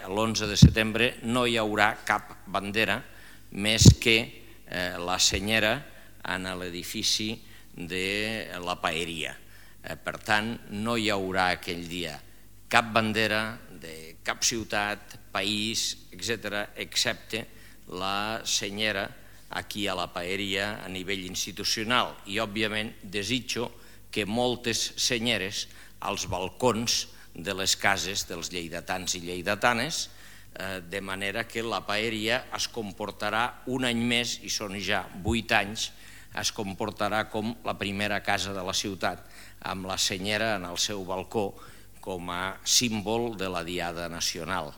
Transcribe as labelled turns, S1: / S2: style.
S1: l'11 de setembre no hi haurà cap bandera més que la senyera en l'edifici de la paeria. Per tant, no hi haurà aquell dia cap bandera de cap ciutat, país, etc., excepte la senyera aquí a la paeria a nivell institucional. I, òbviament, desitjo que moltes senyeres als balcons de les cases dels lleidatans i lleidatanes, de manera que la paeria es comportarà un any més, i són ja 8 anys, es comportarà com la primera casa de la ciutat, amb la senyera en el seu balcó com a símbol de la Diada Nacional.